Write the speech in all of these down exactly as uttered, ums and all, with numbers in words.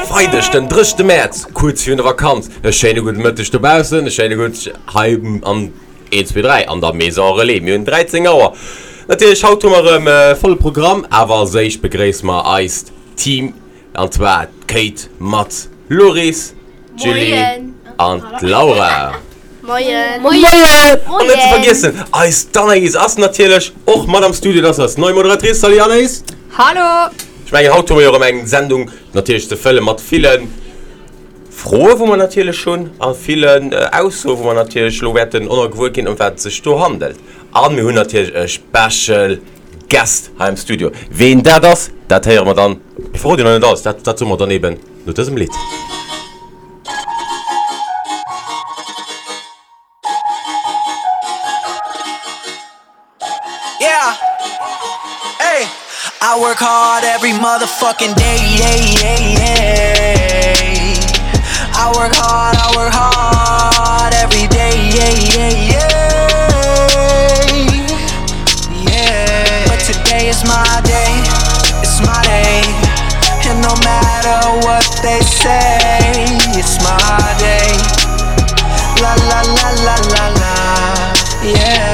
Freideg den drëschte Mäerz, kuerz virun der Vakanz. E schéine gudde Mëtteg dobaussen, e schéine gutt hei an eent, zwee, dräi an der Maison Relais. Mir hunn dräizéng Auer. Natierlech haut hu mer erëm e volle Programm, awer als éischt begréisse mer eist Team, an zwar d'Kate mat Loris, d'Julie an d'Laura. Moien. Moien. An net ze vergiessen, eis d'Anaïs ass natierlech och mat am Studio, dat ass eis nei Moderatrice. Salut Anaïs! Hallo! Ech mengen, haut hu mer jo erëm eng Sendung natierlech ze fëlle mat ville Froe wou mer natierlech hunn a villen Aussoe wou mer natierlech elo wäerten och nach gewuer ginn, ëm wat et sech do handelt. A mir hunn natierlech e Special Guest hei am Studio. Ween dat ass, dat héiere mer dann, mir verroden jo nach net alles, dat dat soe mer dann eben no dësem Lidd. Yeah. Hey. I work hard every motherfucking day. Yeah, yeah, yeah. I work hard, I work hard every day. Yeah, yeah, yeah. Yeah. But today is my day. It's my day. And no matter what they say, it's my day. La la la la la la. Yeah.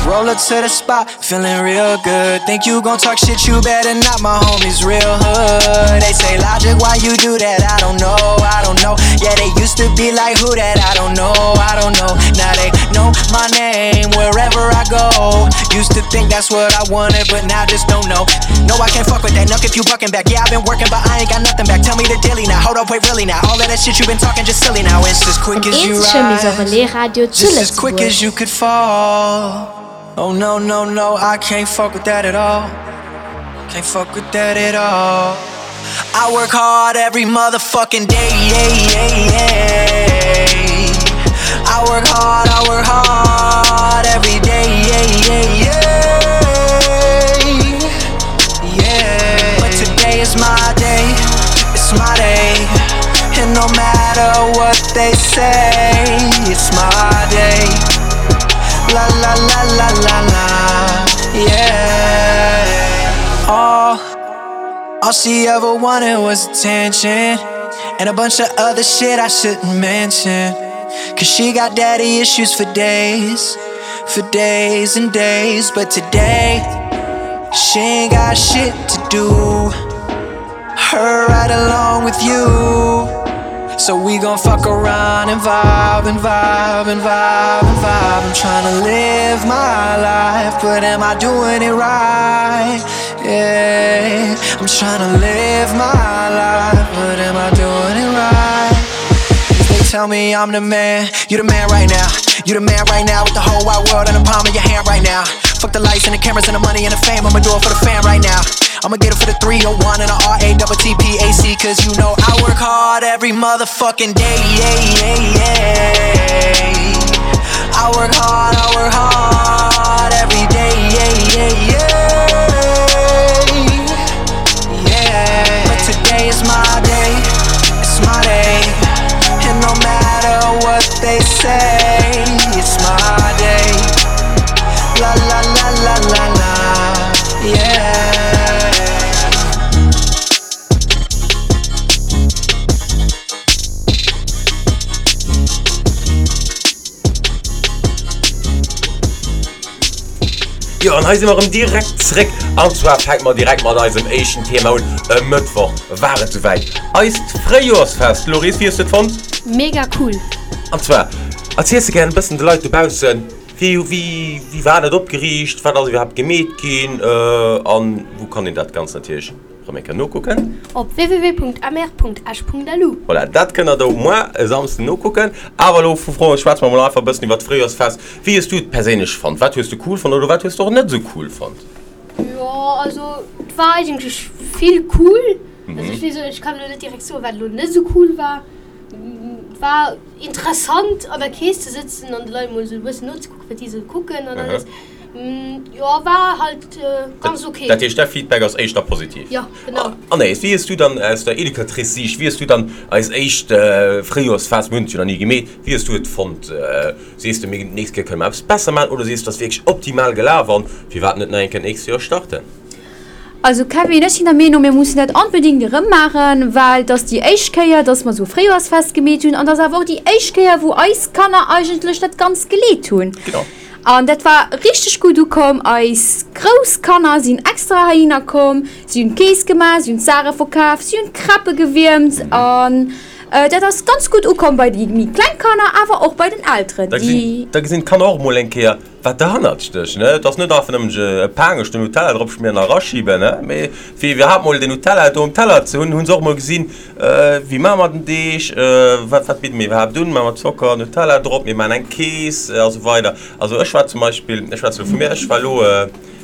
Roll up to the spot, feeling real good. Think you gon' talk shit, you better not. My homies real hood. They say logic, why you do that? I don't know, I don't know. Yeah, they used to be like who that? I don't know, I don't know. Now they know my name wherever I go. Used to think that's what I wanted, but now just don't know. No, I can't fuck with that. Nuck if you bucking back. Yeah, I've been working, but I ain't got nothing back. Tell me the dilly now. Hold up, wait, really now. All of that shit you been talking just silly now. It's as quick Den as you eenzege Maison rise. Relais Radio zu Just as quick Lëtzebuerg. as you could fall. Oh no, no, no, I can't fuck with that at all. Can't fuck with that at all. I work hard every motherfucking day. Yeah, yeah, yeah. I work hard, I work hard every day. Yeah, yeah, yeah. Yeah. But today is my day. It's my day. And no matter what they say, it's my day. La la la la la la. Yeah. All, all she ever wanted was attention. And a bunch of other shit I shouldn't mention. Cause she got daddy issues for days. For days and days. But today, she ain't got shit to do. Her right along with you. So we gon' fuck around and vibe and vibe and vibe and vibe. I'm tryna live my life, but am I doing it right? Yeah, I'm tryna live my life, but am I doing it right? They tell me I'm the man, you the man right now. You the man right now with the whole wide world in the palm of your hand right now. Fuck the lights and the cameras and the money and the fame. I'ma do it for the fam right now. I'ma get it for the three oh one and the R A double T P A C. Cause you know I work hard every motherfucking day. Yeah, yeah, yeah. I work hard, I work hard every day. Yeah, yeah, yeah. Yeah. But today is my day. It's my day. And no matter what they say, it's my day. La la la la la la. Yeah. Jo, an hei si mer erëm direkt zréck. An zwar fänke mer direkt mat eisem éischten Thema un. E Mëttwoch war et souwäit, eist Fréijoersfest. Loris, wéi hues du et fonnt? Mega cool! An zwar, erziels de gären e bëssen de Leit dobaussen, wéi, wéi, wéi war dat opgeriicht, wat ass iwwerhaapt gemeet ginn an wou kann een dat Ganzt natierlech erëm eng Kéier nokucken? Op www.mr.esch.lu. Voilà, dat kënnt der do moar e Samsden nokucken. Awer elo vu Froen, schwätze mer mol einfach e bëssen iwwer d'Fréijoersfest. Wéi hues du et perséinlech fonnt? Wat hues du cool fonnt oder wat hues du och net esou cool fonnt? Jo, also et war eigentlech vill cool. Also ech weess elo, ech kann elo net direkt soen, wat elo net esou cool war. Et war interessant an der Kees ze sëtzen an de Leit mol esou e bëssen nozekucken, wat déi esou kucken an alles. Jo, war halt ganz ok. Dat heescht, däi Feedback ass éischter positiv? Jo, genau. Anaïs, wéi hues du dann aus der Educatrice-Siicht, wéi hues du dann eis éischt Fréijoersfest, mir hunn et jo nach ni gemeet, wéi hues du et fonnt? Sees de, mir d'nächst Kéier kënne mer eppes besser maachen oder sees du, et ass wierklech optimal gelaf an firwat net nach eng Kéier d'nächst Joer starten? Also Kevin, ech sinn der Meenung, mir mussen dat onbedéngt erëm maachen, well et ass déi éischt Kéier, dass mer esou e Fréijoersfest gemeet hunn an et ass awer och déi éischt Kéier, wou eis Kanner eigentlech dat Ganzt geleet hunn. Genau. An dat war richteg gutt ukomm. Eis grouss Kanner sinn extra heihinner komm, si hunn d'Keess gemaach, si hunn d'Saache verkaf, si hunn d'Crêpë gewiermt an dat ass ganz gutt ukomm bei déi méi kleng Kanner, awer och bei den Elteren, Da déi. gesinn, da gesinn d'Kanner och emol eng Kéier, wat derhannert stécht, ne? Et ass net einfach nëmmen e Paangech do Nutella drop schmieren a raschiben, ne? Mee fir iwwerhaapt mol den Nutella do um Teller ze hunn, hu se och mol gesinn, wéi maache mer den Deeg, wat, wat bidde mir iwwerhaapt un, maache mer Zocker, Nutella drop, mir maachen eng Kees a sou weider. Also ech war zum Beispill, ech schwätze elo vu mir, ech war elo,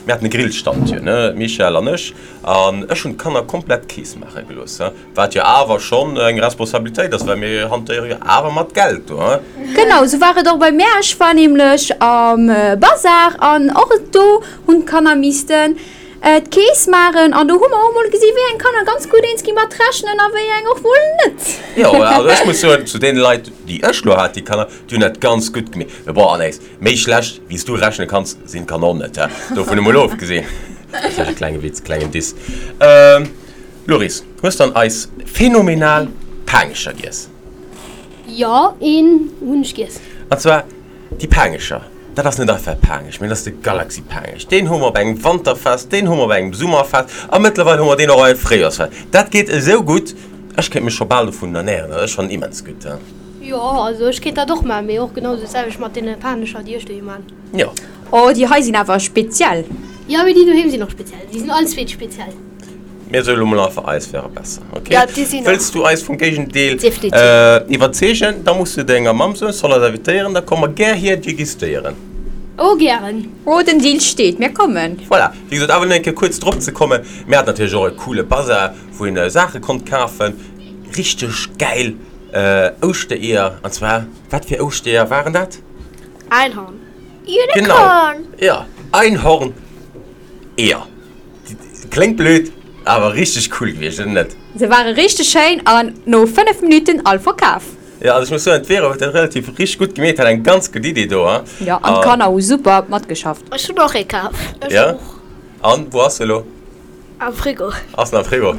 mir haten e Grillstand jo, ne, d'Michèle an ech, an ech hunn d'Kanner komplett d'Kees maache gelooss, wat jo awer schonn eng Responsabilitéit ass, well mir hantéiere jo awer mat Geld do, hein. Genau, sou war et och bei mär. Ech war nämlech am Bazar an och do hunn d'Kanner missten d'Kees maachen an do hu mer och mol gesi wéi eng Kanner ganz gutt eens gi mat rechnen a wéi eng och mol net. Jo, also ech muss soen, zu deene Leit, déi ech lo hat, déi Kanner, déi hunn dat ganz gutt gemeet. Mee bon, Anaïs, méi schlecht wéi s du rechne kanns, sinn d'Kanner och net, dovun emol ofgesinn. Dat war e klenge Witz, klengen Diss. Loris, hues dann eis phänomenal Paangecher giess? Jo, een hunn ech giess. An zwar déi Paangecher, dat ass net einfach e Paangech, mee dat ass de Galaxy Paangech. Deen hu mer op engem Wanterfest, deen hu mer op engem Summerfest a mëttlerweil hu mer deen och op engem Fréijoersfest. Dat geet esou gutt, ech kéint mech scho bal dovun ernären, also ech fannen immens gutt. Jo, also ech kéint dat och man, mee och genau sou d'selwecht mat deene Panescher, déi ech doheem man. Jo. Oh, déi hei sinn awer speziell. Jo, mee déi doheem sinn och speziell. Déi sinn all zweet speziell. Mir soe lo mol einfach, eis wäre besser, ok? Ja, déi sinn och. Wëlls du eis vum Géigendeel Definitiv. iwwerzeegen, da muss du denger Mamm soen, soll eis invitéieren, da komme mer gär hier degustéieren. Oh, gären. Oh, den Deal steet, mir kommen. Voilà, wéi gesot, awer nach eng Kéier kuerz drop ze kommen, mir haten natierlech och e coole Bazar, wou een Saache konnt kafen, richteg gäil Ouschtereeër, an zwar, wat fir Ouschtereeër waren dat? Einhorn. Unicorn! Genau, jo, Einhorn-Eeër. Kléngt blöd, awer richteg cool gewiescht, oder net? Se ware richteg schéin an no fënnef Minutten all verkaf. Jo, also ech muss soen, d'Vero huet dat relativ richteg gutt gemeet, hat eng ganz gutt Idee do, hein? Jo, an d'Kanner hu super matgeschafft. Ech hunn och ee kaf. Ech Jo? och. An, wou ass se elo? Am Frigo. Ass en am Frigo?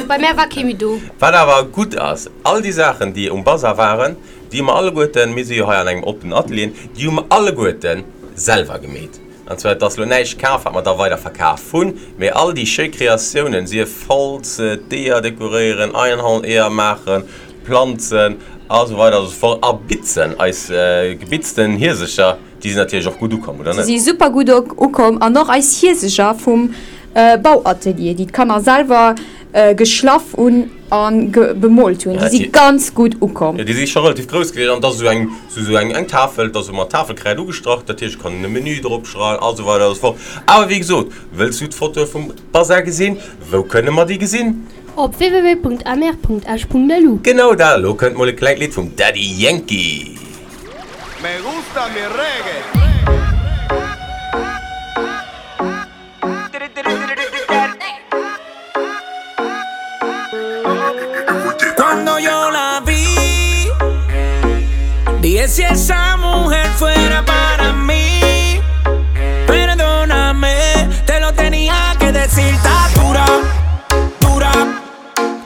Bei mär war kee méi do. Wat awer gutt ass, all déi Saachen, déi um Bazar waren, déi hu mer alleguerten, mir si jo hei an engem oppenen Atelier, déi hu mer alleguerten selwer gemeet. An zwar, et ass elo näischt kaf, wat mer da weider verkaf hunn, mee all déi schéi Kreatiounen, sief Holz, d'Eeër dekoréieren, Einhorn-Eeër maachen, Planzen a sou weider a sou fort a bitzen, eis gebitzten Hiesecher, déi sinn natierlech och gutt ukomm, oder Se net? si super gutt ukomm an och eis Hiesecher vum Bauatelier, déi d'Kanner selwer geschlaff hunn a bemoolt hunn, déi si ganz gutt ukomm. Jo, déi si scho relativ grouss gewiescht an et ass esou eng, esou eng, eng Tafel, et ass esou mat Tafelkräid ugestrach, dat heescht, et kann een e Menü drop schreiwen a sou weider a sou fort. Awer wéi gesot, wëlls du d'Fotoe vum Bazar gesinn? Wou kënne mer déi gesinn? Op www.mr.esch.lu. Genau dat! Elo kënnt mol e klengt Lidd vum Daddy Yankee. Me gusta mi reggae. Cuando yo la vi, dije si esa mujer fuera para mí, perdóname, te lo tenía que decir, está dura, dura,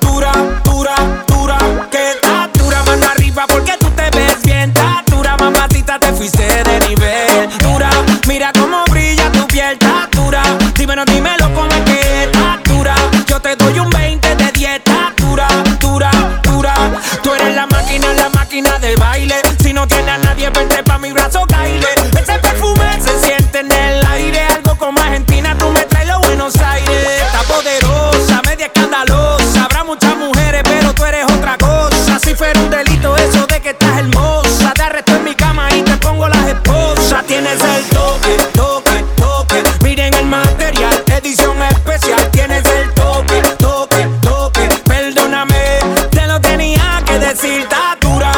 dura, dura, dura, que está dura, mano arriba porque tú te ves bien, está dura, mamacita, te fuiste de nivel, dura, mira cómo brilla tu piel, está dura, dímelo, dímelo cómo es que está dura, yo te doy un veinte de diez, está dura, dura, dura, tú eres la máquina, la máquina del baile, si no tienes a nadie, vente pa' mi brazo, caile, ese perfume se siente en el aire, algo como Argentina, tú me traes los Buenos Aires, está poderosa, media escandalosa, habrá muchas mujeres, pero tú eres otra cosa, si fuera un delito eso de que estás hermosa, te arresto en mi cama y te pongo las esposas, tienes el toque, toque, toque, miren el material, edición especial, tienes el toque, toque, toque, perdóname, te lo tenía que decir, está dura,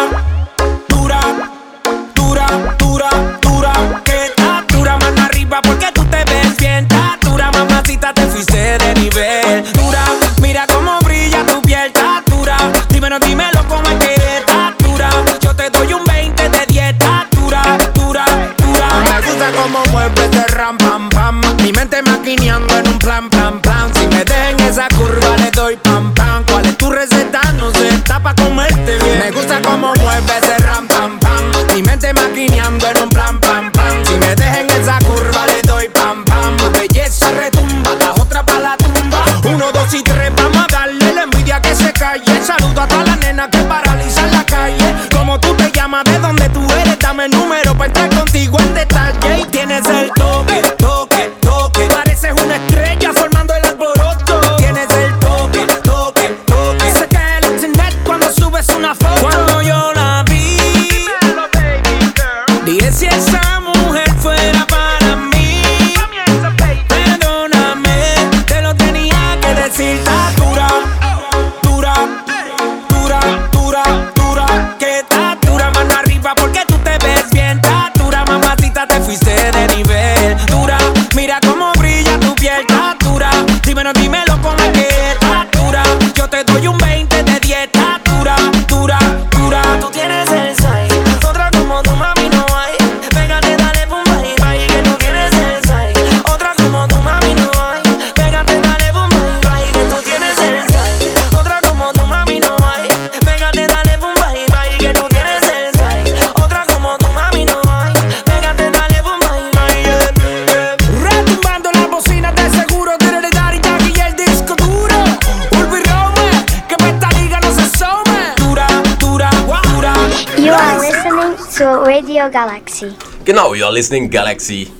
dura, dura, dura, dura, que está dura, mano arriba porque tú te ves bien, está dura, mamacita, te fuiste de nivel, dura, mira cómo brilla tu piel, está dura, dímelo, dímelo cómo es que está dura, yo te doy un veinte de diez, está dura, dura, dura. Me gusta cómo mueves ese ram pam pam, mi mente maquineando en gusta cómo mueve ese ram pam pam. Mi mente maquineando en un plan pam pam. Si me dejan esa curva le doy pam pam. Tu belleza retumba, la otra pa la tumba. Uno, dos y tres, vamos a darle la envidia que se calle. Saludo a todas las nenas que paralizan la calle. Como tú te llamas, de dónde tú eres, dame el número para entrar contigo en detalle. Y tienes el toque, toque, toque. Pareces una estrella formando el alboroto. Tienes el toque, toque, toque. Se cae el internet cuando subes una foto. Cuando yo la vi, dije si esa mujer fuera para mí. Perdóname, te lo tenía que decir. Está dura, dura, dura, dura, dura. Que está dura, mano arriba porque tú te ves bien. Está dura, mamacita, te fuiste de nivel. Dura, mira cómo brilla tu piel. Está dura, dímelo, dímelo con la que está dura. Yo te doy un veinte de diez. Está dura, dura, dura. Tú tienes el size, otra como tu mami no hay. Pégate, dale, pum, bye, bye, que tú tienes el size. Otra como tu mami no hay. Pégate, dale, pum, bye, bye, que tú tienes el size. Otra como tu mami no hay. Pégate, dale, pum, bye, bye, que tú tienes el size. Otra como tu mami no hay. Pégate, dale, pum, bye, bye, yeah, yeah. Retumbando la bocina de seguro, de Daddy Yankee y el disco duro. Urbi Rome, que pa' esta liga no se asome. Dura, dura, dura. You are listening to Radio Galaxy. Genau, you are listening Galaxy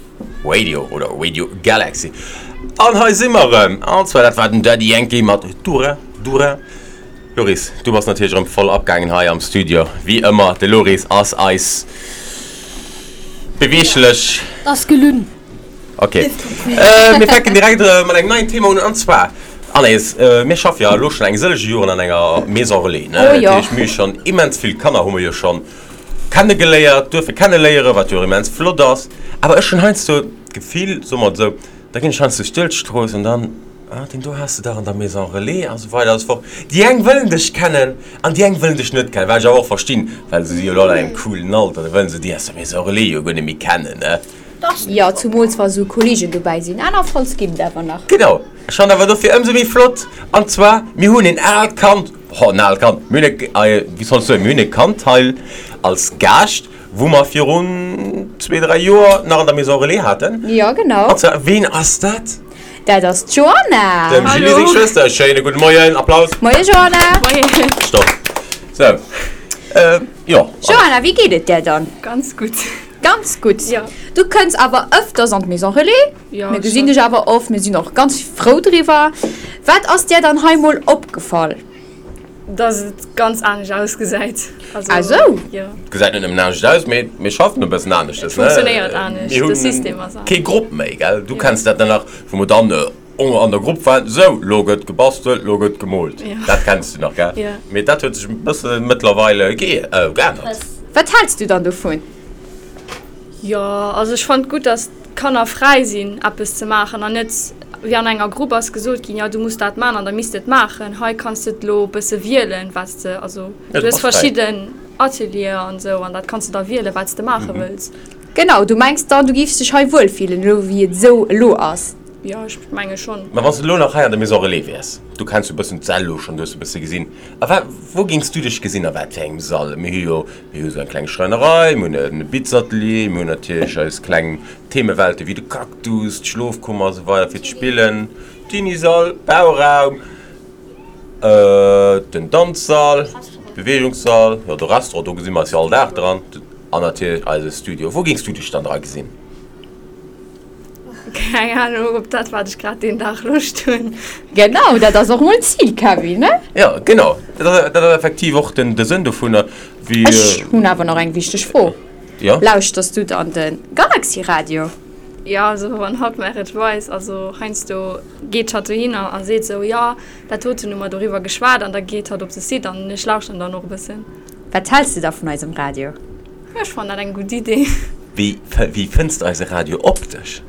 Radio oder Radio Galaxy. An hei si mer erëm. An zwar dat war den Daddy Yankee mat Dura, Dura. Loris, du bass natierlech erëm voll abgaangen hei am Studio. Wéi ëmmer, de Loris ass eis beweeglech. Dat ass gelunn. Okay. Äh, mir fänken direkt äh, mat engem neien Thema un, an zwar, Anaïs, äh, mir schaffe jo elo schonn eng sëllege Joren an enger Maison Relais, ne? Oh jo. Dat heescht, mir hu schonn immens vill Kanner hu mir jo schonn kennegeléiert, duerfe kenneléieren, wat jo och immens flott ass. Awer ech hunn heiansdo d'Gefill, soe mer et esou, da ginn ech heiansdo duerch d'Strooss an dann, ah, deen do has de dach an der Maison Relais a sou weider a sou fort. Déi eng wëllen dech kennen an déi eng wëllen dech net kennen, wat ech awer och verstinn, well se si jo elo an engem coolen Alter, da wëllen se déi aus der Maison Relais jo guer net méi kennen, ne? Jo, zumools wa sou Kolleegen dobäi sinn. Aner Falls ginn et awer nach. Genau. Ech fannen awer dofir ëmsou méi flott. An zwar, mir hunn en aalt Kand, ho, en aalt Kand, mir hunn e, wéi soll ech soen, mir hunn e Kand hei als Gaascht, wou mer virun zwee, dräi Joer nach an der Maison Relais haten. Jo, genau. An zwar, ween ass dat? Dat ass d'Joanna. Dem Julie seng Schwëster. Schéine gudde Moien. Applaus. Moie Joanna. Moien. Stopp. Sou. Äh, jo. Joanna, wéi geet et där dann? Ganz gutt. Ganz gutt. Jo. Du kënns awer ëfters an d'Maison Relais. Jo, Mir gesinn schon. dech awer oft, mir sinn och ganz frou driwwer. Wat ass där dann hei mol opgefall? Dass et ganz anescht ausgesäit. Also, Ah sou. Jo. Gesäit net nëmmen anescht aus, mee mir schaffen e bëssen aneschters, ne? Funktionéiert anescht, Mir de hunn System ass anescht. Kee Grupp méi, gell? Du kenns dat dann nach, wou mer dann an der Grupp waren, sou, lo gëtt gebastelt, lo gëtt gemoolt. Jo. Dat kenns du nach, gell? Jo. Mee dat huet sech e bësse mëttlerweile ge äh, geännert. Wat häls du dann dovun? Jo, also ech fannt gutt, dass d'Kanner fräi sinn, eppes ze maachen an net wéi an enger Grupp ass gesot ginn, jo du muss dat maachen an da misst de et maachen. Hei kanns de et lo e bësse wielen, wat s de, also Ja, du du hues bass fräi. verschidden Atelieren an esou an dat kanns de da wielen, wat s de maache Mhm. wëlls. Genau, du mengs dann, du giffs dech hei wuelfillen, elo wéi et esou elo ass? Jo, ech menge schonn. Mä wann s de elo nach hei an der Maison Relais wäers, du kenns jo e bëssen d'Säll elo schonn, du hues e bësse gesinn, a wa wou géings du dech gesinn, a wat fir engem Sall? Mir hu jo, mir hu sou eng kleng Schräinerei, mir hunn e Bitzatelier, mir hunn natierlech eis kleng Themewelte wéi de Cactus, d'Schlofkummer a sou weider fir d'Spillen, Teeniesall, Bauraum, den Danzsall, Beweegungssall, jo de Restaurant, do gesi mer eis jo all Dag dran, an natierlech eise Studio. Wou géings du dech dann dra gesinn? Keng Ahnung, ob dat wat ech grad deen Dag Loscht hunn. Genau, dat ass och mol d'Zil, Kevin, ne? Jo, genau. Dat ass, dat ass effektiv och den, de Sënn dovunner, wéi. Ech hunn awer nach eng wichteg Fro. Jo? Lauschters du dann de Galaxy Radio? Jo, also wann hatt mer et weist, also heiansdo geet hatt dohinner a seet sou, jo, dat doten hu mer doriwwer geschwat an da geet hatt op de Site an ech lauschteren dann och e bëssen. Wat häls de da vun eisem Radio? Jo, ech fannen dat eng gutt Idee. Wéi, wéi fënns de eise Radio optesch?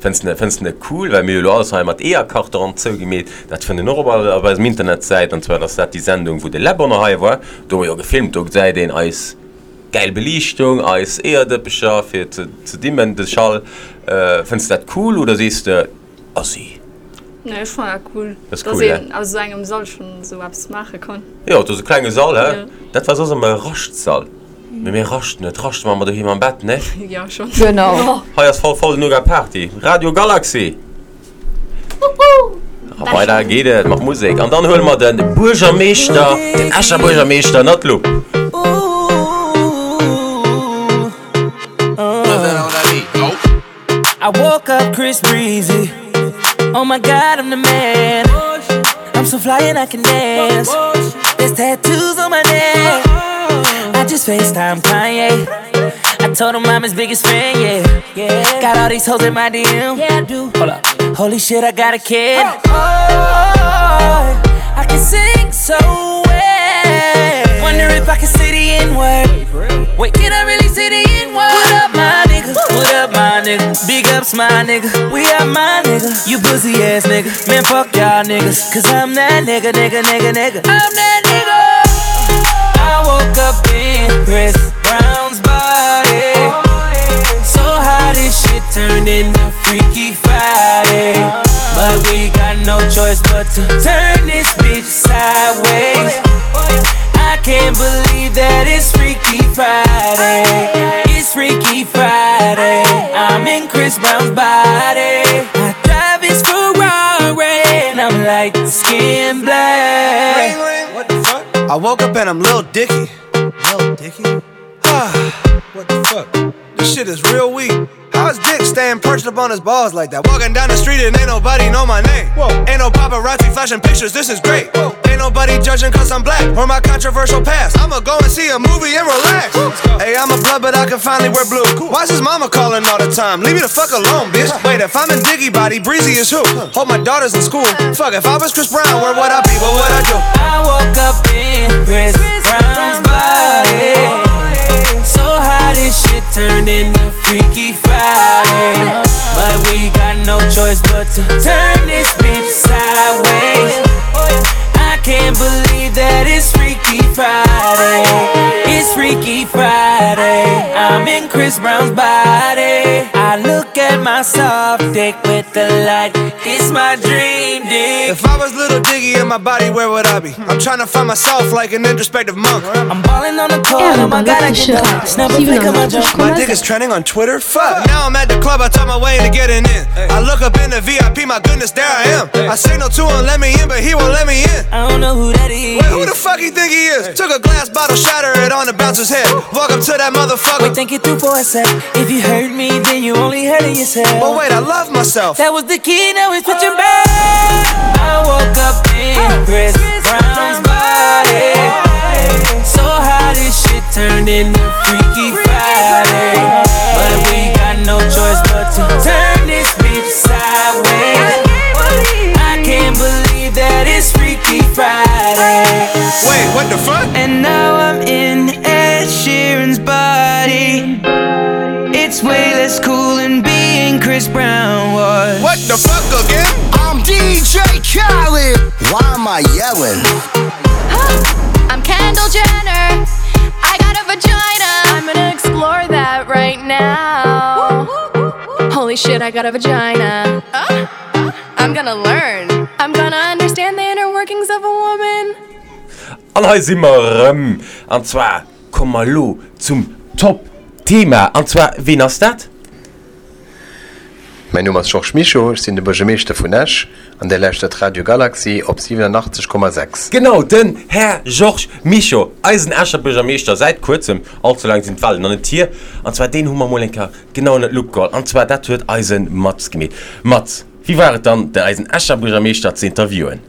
Fënns de, fënns de net cool, well mir hu jo elo alles hei mat Eeërkarton zougemeet, dat fënnt een och op, op eisem Internetsäit, an zwar ass dat déi Sendung, wou de Läb och nach hei war, do hu mer jo gefilmt, do gesäit een eis gäil Beliichtung, eis Eeërdëppecher fir ze, ze dimmen, de Schall. Fënns de dat cool oder sees de, Assi, Nee, ech fannen dat cool, Dat ass dass cool, een ne? aus esou engem Sall schonn esou eppes maache kann. Jo, et ass e klenge Sall, hä? Ja. Dat war soss ëmmer e Raschtsall. Mee mir raschten net, raschte mer doheem am Bett, ne? Jo, schonn. Genau. Hei ass voll voll Nougat Party. Radio Galaxy! A weider geet et mat Musek. An dann huele mer de Buergermeeschter, den Escher Buergermeeschter ënnert d'Lupp. I woke up Chris Breezy. Oh my god, I'm the man. I'm so fly and I can dance. There's tattoos on my neck. I just FaceTime Kanye. I told him I'm his biggest fan, yeah. yeah. Got all these hoes in my D M. Yeah, I do. Hold up. Holy shit, I got a kid. Oh, I can sing so well. Wonder if I can say the N word. Wait, can I really say the N word? What up, my nigga? What up, my nigga? Big ups, my nigga. We are my nigga. You pussy ass nigga. Man, fuck y'all niggas. Cause I'm that nigga, nigga, nigga, nigga. I'm that nigga. I woke up in Chris Brown's body. So how this shit turned into Freaky Friday. But we got no choice but to turn this bitch sideways. I can't believe that it's Freaky Friday. It's Freaky Friday. I'm in Chris Brown's body. I drive his Ferrari and I'm like skin black. What the fuck? I woke up and I'm Lil Dicky. Lil Dicky? Ah, what the fuck? This shit is real weak. How's Dick staying perched up on his balls like that? Walking down the street and ain't nobody know my name. Whoa. Ain't no paparazzi flashing pictures, this is great. Whoa. Ain't nobody judging cause I'm black or my controversial past. I'ma go and see a movie and relax. Hey, I'm a blood, but I can finally wear blue. Why's his mama calling all the time? Leave me the fuck alone, bitch. Wait, if I'm in Diggy body, Breezy is who? Hope my daughter's in school. Fuck, if I was Chris Brown, where would I be? What would I do? I woke up in Chris Brown's body. So how this shit turned into Freaky Friday. But we got no choice but to turn this bitch sideways. I can't believe that it's Freaky Friday. It's Freaky Friday. I'm in Chris Brown's body. I look at my soft dick with the light. It's my dream dick. If I was little Diggy in my body, where would I be? I'm trying to find myself like an introspective monk. I'm balling on the court. Oh my god, I get dope. Snap a flick of my jump. My dick is trending on Twitter. Fuck. Now I'm at the club, I talk my way into getting in. I look up in the V I P, my goodness, there I am. I signal to him, let me in, but he won't let me in. I don't know who that is. Wait, who the fuck he think he is? Took a glass bottle, shatter it on the bouncer's head. Walk up to that motherfucker. Wait, think it through for a sec. If you hurt me, then you only hurting yourself. But wait, I love myself. That was the key, now it's switching back. I woke up in Chris Brown's body. So how this shit turned into Freaky Friday. But we got no choice but to turn this bitch sideways. I can't believe that it's Freaky Friday. Wait, what the fuck? And now I'm in Ed Sheeran's body. It's way less cool than being Chris Brown was. What the fuck again? I'm D J Khaled. Why am I yelling? I'm Kendall Jenner. I got a vagina. I'm gonna explore that right now. Holy shit, I got a vagina. I'm gonna learn. I'm gonna understand the inner workings of a woman. An hei si mer erëm. An zwar komme mer elo zum Top-Thema. An zwar, wien ass dat? Mäin Numm ass Georges Mischo, ech sinn de Buergermeeschter vun Esch an Dir lauschtert Radio Galaxy op siwenenachtzeg Komma sechs. Genau, den Här Georges Mischo, eisen Escher Buergermeeschter säit kuerzem, all ze laang sinn d'Wahlen nach net hier, an zwar deen hu mer mol eng Kéier genau ënnert d'Lupp geholl, an zwar dat huet eise Mats gemeet. Mats, wéi war et dann, de eisen Escher Buergermeeschter ze interviewen?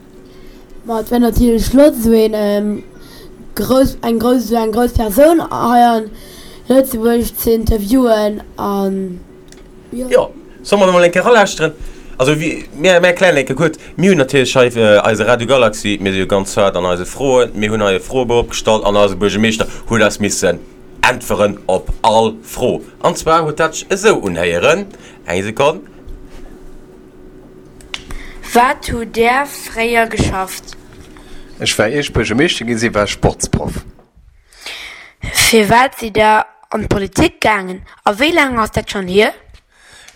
Ma et war natierlech flott, esou een grouss, eng grouss, esou eng grouss Persoun hei an Lëtzebuerg ze interviewen an jo. Jo, solle mer mol eng Kéier eralauschteren? Also wie, mir, mir erklären eng Kéier kuerz, mir hunn natierlech hei eise Radio Galaxy, mir si jo ganz haart an eise Froen, mir hunn hei e Froebou opgestallt an eise Buergermeeschter huet eis missen äntweren op all Fro. An zwar huet dat sech esou unhéieren, eng Sekonn. Wat hutt Der fréier geschafft? Ech war ier ech Buergermeeschter gi si war ech Sportsproff. Firwat sidd Der an d'Politik gaangen a wéi laang ass dat schonn hier?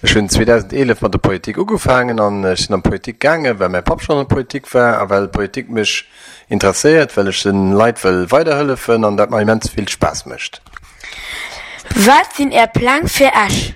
Ech hunn zweedausendeelef mat der Politik ugefaangen an ech sinn an d'Politik gaangen, well mäi Papp schonn an der Politik war a well Politik mech interesséiert, well ech de Leit wëll weiderhëllefen an dat mer immens vill Spaass mécht. Wat sinn Är Pläng fir Esch?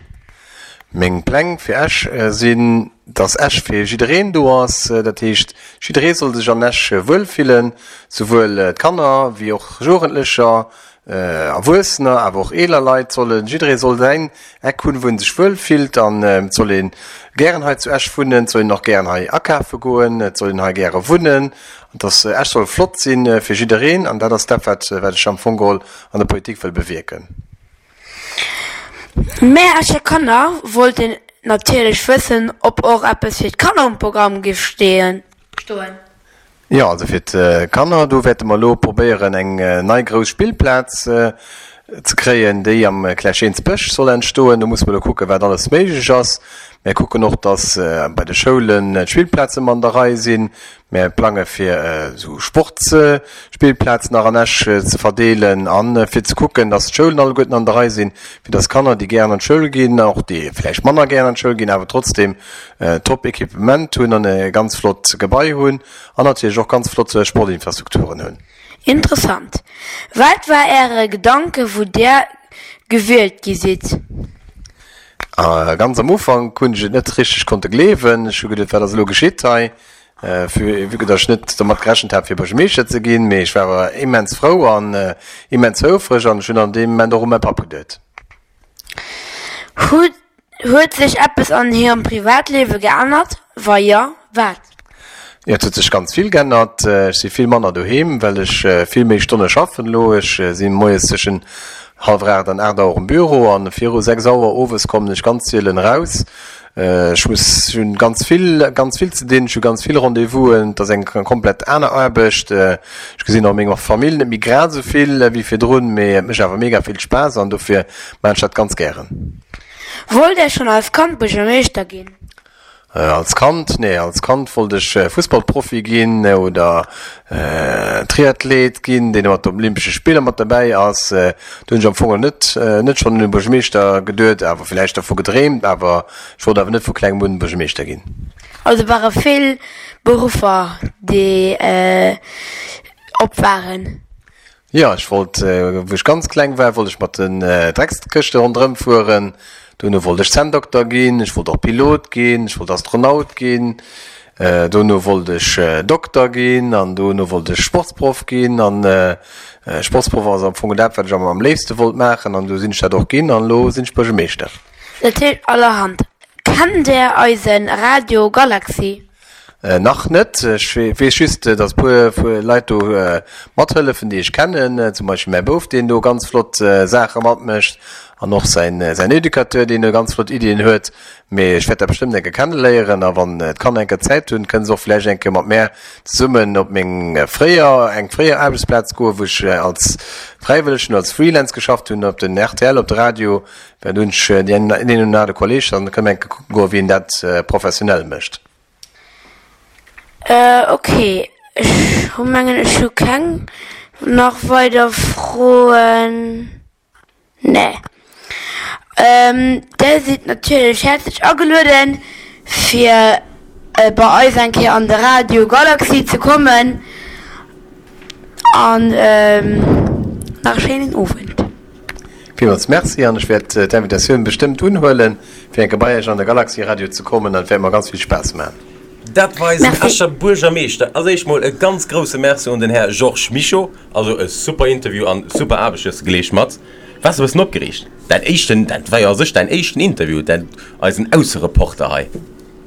Meng Pläng fir Esch sinn, dass Esch fir jiddereen do ass. Dat heescht, jidderee soll sech an Esch wuel fillen, souwuel d'Kanner wéi och Jugendlecher, Erwuessener, awer och eeler Leit sollen, jidderee soll säin Eck hunn, wou en sech wuel fillt. An et soll ee gären hei zu Esch wunnen, et soll een och gären hei akafe goen, et soll een hei gäre wunnen. An dass Esch soll flott si fir jiddereen. An dat ass dat, wat wat ech am Fong geholl an der Politik wëll bewierken. Mär Escher Kanner wollten natierlech wëssen, ob och eppes fir d'Kanner um Programm géif stoen. Jo, also fir d'Kanner, do wäerte mer elo probéieren, eng nei grouss Spillplaz ze kréien, déi am Klerschénsbësch soll entstoen. Do musse mer elo kucken, wat alles méiglech ass. Mär kucken och, dass bei de Schoulen d'Spillplaze mat an der Rei sinn. Mär plange fir esou Sportsspillplazen nach an Esch ze verdeelen a fir ze kucken, dass d'Schoulen alleguerten an der Rei sinn, fir dass Kanner, déi gären an d'Schoul ginn, och déi vläicht manner gären an d'Schoul ginn, awer trotzdeem top Equipement hunn an e ganz flott Gebai hunn an natierlech och ganz flott Sportinfrastrukturen hunn. Interessant. Wat war Äre Gedanke wou Där gewielt gi sidd? Ganz am Ufank hunn ech et net richteg konnte gleewen. Ech hu geduet, wat ass elo geschitt hei? Vue que datt ech net domat gerechent hat fir Buergermeeschter ze ginn. Mee ech war awer immens frou an immens houfreg an ech hunn an deem Moment och u mäi Papp geduet. Huet sech eppes an hirem Privatliewe geännert? Wa jo, wat? Jo, et huet sech ganz vill geännert. Ech si vill manner doheem, well ech vill méi Stonne schaffen elo. Ech si moies tëschent hallwer aacht an aacht Auer um Büro an viru sechs Auer owes kommen ech ganz sielen eraus. Ech muss, ech hunn ganz vill, ganz vill ze dinn, ech hu ganz vill Rendez-vousen, et ass eng komplett aner Aarbecht. Ech gesinn och meng Famill net méi grad esou vill wéi virdrun, mee et mécht awer mega vill Spaass an dofir maachen ech dat ganz gären. Wollt Där schonn als Kand Buergermeeschter ginn? Als Kand? Nee, als Kand wollt ech Fussballprofi ginn oder Triathlet ginn, deen mat op Olympesche Spiller mat derbäi ass. Do hunn ech am Fong net net schonn un e Buergermeeschter geduet, awer villäicht dervu gedreemt, awer ech wollt awer net vu klengem un Buergermeeschter ginn. Also ware vill Beruffer déi op waren? Jo, ech wollt, wou ech ganz kleng war, wollt ech mat den Dreckskëschte ronderëm fueren. Dono wollt ech Zänndokter ginn, ech wollt och Pilot ginn, ech wollt Astronaut ginn. Dono wollt ech Dokter ginn an dono wollt ech Sportsproff ginn. An Sportsproff ass am Fong dat, wat ech am léifste wollt maachen an du sinn ech dat och ginn an elo sinn ech Buergermeeschter. Dat heescht allerhand. Kennt Där eise Radio Galaxy? Nach net. Ech weess just, datt e puer Leit do mathëllefen, déi ech kennen. Zum Beispill mäi Bouf, deen do ganz flott Saache matmécht an och säin Educateur, deen do ganz flott Iddien huet. Mee ech wäert dat bestëmmt eng Kéier kenneléieren. A wann d'Kanner eng Kéier Zäit hunn, kënne se och vläicht eng Kéier mat mär zesummen op meng fréier, eng fréier Aarbechtsplaz goen, wou ech als Fräiwëllegen, als Freelance geschafft hunn, op den rtl, op de Radio. Well do hunn ech deen een oder anere Kolleeg, dann kënne mer eng Kéier kucke goen, wéi een dat professionell mécht. Ok, ech hu mengen ech hu keng nach weider Froen. Nee. Där sidd natierlech häerzlech agelueden, fir bei eis eng Kéier an de Radio Galaxy ze kommen. An nach e schéinen Owend. Villmools Merci an ech wäert d'Invitatioun bestëmmt unhuelen, fir eng Kéier bei Iech an de Galaxy Radio ze kommen an et wäert mer ganz vill Spaass maachen. Dat war eisen Escher Buergermeeschter. Als éischt mol e ganz grousse Merci un den Här Georges Mischo. Also e super Interview an super Aarbecht hues de geleescht mat. Waars e bëssen opgereegt? Däin éischten, dat war jo a sech däin éischten Interview, däin, eisen Aussereporter hei.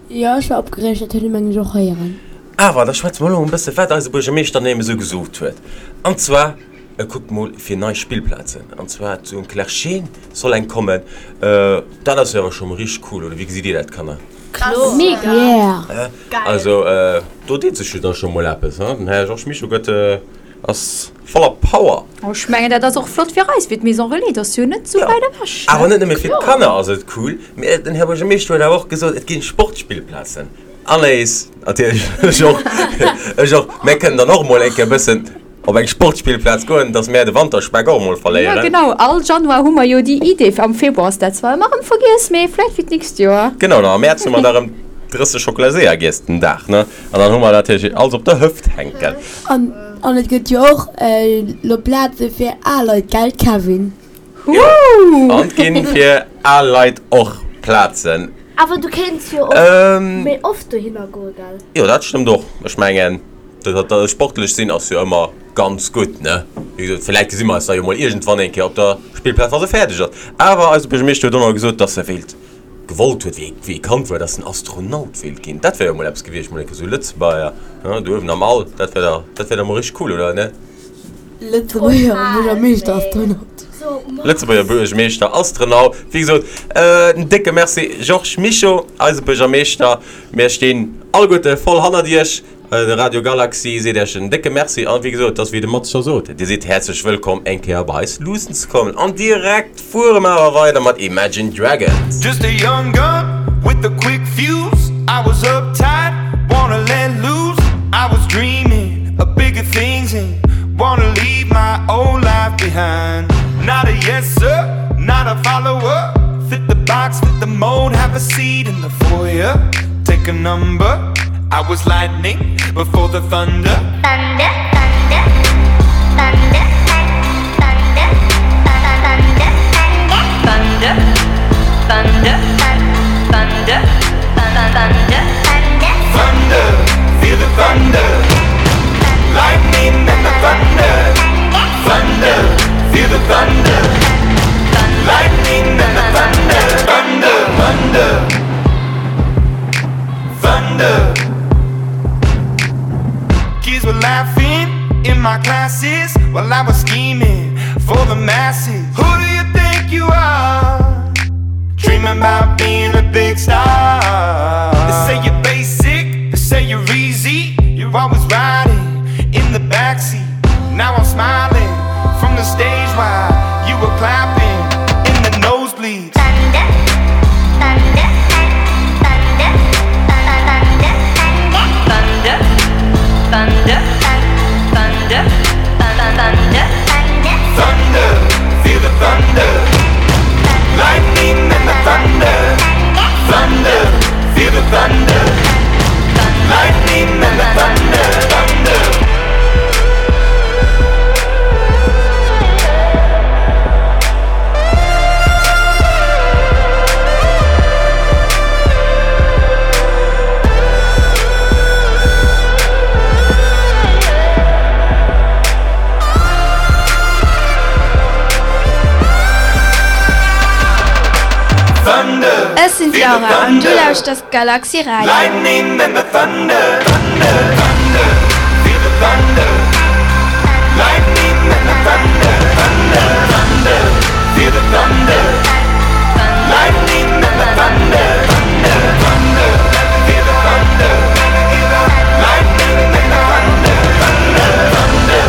Jo, ech war opgereegt, dat huet ee mengen ech och héieren. Awer da schwätze mer elo e bësse wat eise Buergermeeschter némme sou gesot huet. An zwar, e kuckt mol fir nei Spillplazen, an zwar zu Clerscheen soll eng kommen. Dat ass jo awer scho mol richteg cool, oder wéi gesitt Dir dat, Kanner? Kloer. Mega. Yeah. Geil. Also do deet sech jo da scho mol eppes, hein? Den Här Georges Mischo gëtt, ass voller Power. Oh, ech mengen dat ass och flott fir eis, fir d'Maison Relais, dat ass jo net sou wäit ewech, ne? Awer net nëmme fir d'Kanner ass et cool, mee den Här Buergermeeschter huet awer och gesot, et ginn Sportspillplazen. Anaïs, natierlech, ech och, ech och. Mär kënnen dann och mol eng Kéier e bëssen op eng Sportspillplaz goen, dass mär de Wanterspeck och emol Jo, verléieren. genau, all Januar hu mer jo déi Idee, am Februar ass dat zwar ëmmer erëm vergiess, mee vläicht fir d'nächst Joer. Genau, an am Mäerz hu mer da erëm drësseg Schokolaseeër giess den Dag, ne? An dann hu mer natierlech alles op der Hëft hänken. An, an et gëtt jo och elo Plaze fir al Leit, gell Kevin? Jo, an et ginn fir al Leit och Plazen. Awer du kéints jo och méi oft dohinner goen, gell? Jo, dat stëmmt och. Ech mengen, dat sportlech sinn ass jo ëmmer ganz gutt, ne? Wéi gesot, villäicht gesi mer eis da jo mol iergendwann eng Kéier op der Spillplaz, wa se fäerdeg ass. Awer eise Buergermeeschter huet och nach gesot, dass e wéilt, gewollt huet, wéi wéi e Kand war, dass en Astronaut wéilt ginn. Dat wär jo mol eppes gewiescht, mol eng Kéier esou Lëtzebuerger, ne, do uewen am All, dat wär da, dat wär da mol richteg cool, oder net? Lëtzebuerger Buergermeeschter Astronaut. Lëtzebuerger Buergermeeschter Astronaut. Wéi gesot, en décke Merci Georges Mischo, eise Buergermeeschter. Mir stinn alleguerte voll hannert Iech. De Radio Galaxy seet Iech en décke Merci an wéi gesot, et ass wéi de Mats scho sot, Dir sidd häerzlech wëllkomm eng Kéier bei eis luussen ze kommen. An direkt fuere mer awer weider mat Imagine Dragons. Just a young gun with a quick fuse I was uptight, wanna let loose I was dreaming of bigger things and wanna leave my old life behind Not a yes sir, not a follower Fit the box, fit the mold, have a seat in the foyer Take a number I was lightning before the thunder Thunder, thunder, thunder, thunder, thunder, thunder, thunder, thunder, thunder, thunder, feel the thunder Lightning and the thunder Thunder, feel the thunder Lightning and the thunder Thunder, thunder Thunder Kids were laughing in my classes While I was scheming for the masses Who do you think you are? Dreaming about being a big star They say you're basic, they say you're easy You're always riding in the backseat Now I'm smiling from the stage while you were clapping in the nosebleeds Thunder, thunder, thunder, thunder, thunder, thunder, thunder, thunder, thunder, feel the thunder Lightning and the thunder Thunder, feel the thunder Lightning and the thunder, thunder Ech sinn d'Laura an du lauschters Galaxy Radio. Lightning and the thunder, thunder, thunder, feel the thunder Lightning and the thunder, thunder, thunder, feel the thunder Lightning and the thunder, thunder, thunder, feel the thunder Lightning and the thunder, thunder, thunder,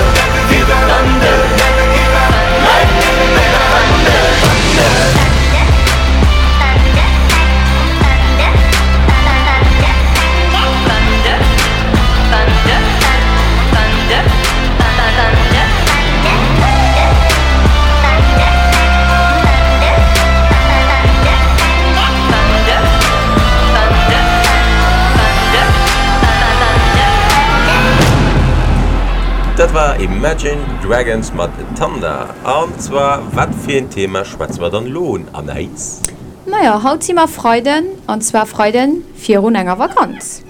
feel the thunder Lightning and the thunder, thunder thunder, thunder, thunder, thunder, thunder, thunder, Dat war Imagine Dragons mat Thunder. An zwar, wat fir een Thema schwätze mer dann elo un, Anaïs? Majo, haut si mer Freiden, an zwar Freiden virun enger Vakanz.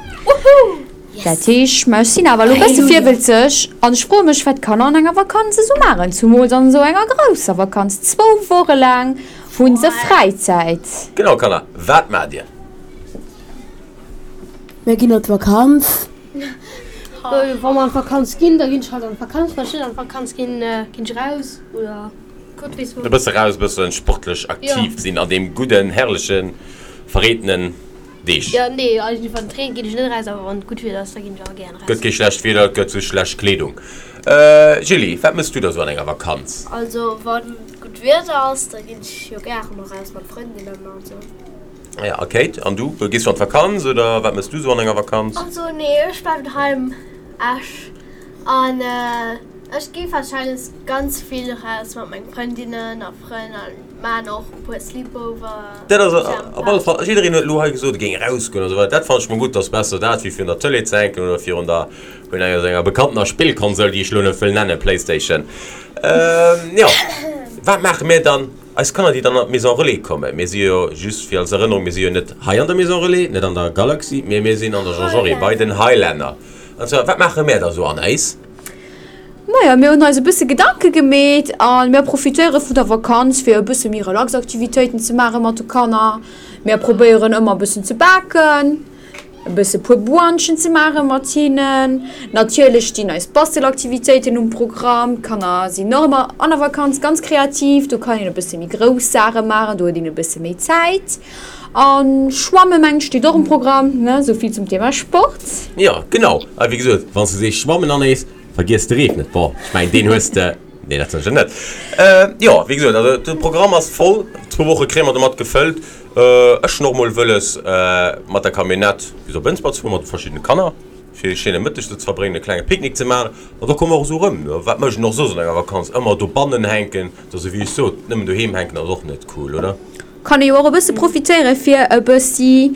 Dat heescht, mä ech sinn awer elo e bësse virwëlzeg an ech froe mech, wat d'Kanner an enger Vakanz esou maachen, zumools an esou enger grousser Vakanz. Zwou Woche laang hu se Fräizäit. Genau, Kanner, wat maacht Dir? Mir ginn op d'Vakanz. Wa mer an d'Vakanz ginn, da ginn ech halt an d'Vakanz. Wann ech net an d'Vakanz ginn, ginn ech eraus oder Gott weess wou. E bësse raus, e bësse sportlech aktiv sinn an deem gudden, herrlechen, verreetenen Deeg. Jo, nee, eigentlech wann et reent, ginn ech net eraus, awer wann et gutt Wieder ass, da ginn ech awer gären eraus. Gëtt kee schlecht Wieder, et gëtt sou schlecht Kleedung. Julie, wat mëss du da sou an enger Vakanz? Also wann gutt Wieder ass, da ginn ech jo gären eraus mat Frëndinnen an sou. Ah ja, a Kate, an du? Gees du an d'Vakanz oder wat mëss du sou an enger Vakanz? Also nee, ech bleiwen doheim. Ech An ech gi warscheinlech ganz vill raus mat menge Frëndinnen a Frënn a maachen och e puer Sleepover. Dat ass op alle Fall, jiddereen huet elo hei gesot, e géing erausgoen a sou weider. Dat fannen ech mol gutt, ass besser dat, wéi virun der Tëlee ze hänken oder virun der, vun enger senger bekanntener Spillkonsol, déi ech elo net wëll nennen, Playstation. Jo, wat maache mir dann, eis Kanner, déi dann an d'Maison Relais kommen? Mir si jo, just fir als Erënnerung, mir si jo net hei an der Maison Relais, net an der Galaxy, mee mir sinn an der Jean Jaurès bei den Highlander. An zwar, wat maache mär da sou an eis? Majo, mir hunn eis e bësse Gedanke gemeet a mir profitéiere vun der Vakanz, fir e bësse méi relax Aktivitéiten ze maache mat de Kanner. Mir probéieren ëmmer e bëssen ze baken, e bësse puer Brunchen ze maache mat hinnen. Natierlech stinn eis Bastelaktivitéiten um Programm. D'Kanner sinn och ëmmer an der Vakanz ganz kreativ. Do kann een e bësse méi grouss Saache maachen, do huet een e bësse méi Zäit. A schwamme mengen ech steet och um Programm, ne? Sou vill zum Thema Sport. Jo, genau. A wéi gesot, wann s de sees schwammen Anaïs, Vergiess de Reef net. Bon, ech mengen, deen hues de. Nee, dat sécher net. Jo, wéi gesot, also de Programm ass voll. Zwou Woche kréie mer domat gefëllt. Ech hunn och mol wëlles, mat der Camionnette bis op Ënsber ze fueren, mat de verschiddene Kanner, fir e schéine Mëtteg do ze verbréngen, e klenge Picknick ze maachen. An da komme mer och esou erëm. Wat mécht een och soss an enger Vakanz? Ëmmer dobannen hänken, dat ass esou wéi ech sot, nëmmen doheem hänken ass och net cool, oder? Kann ee jo och e bësse profitéiere fir e bëssi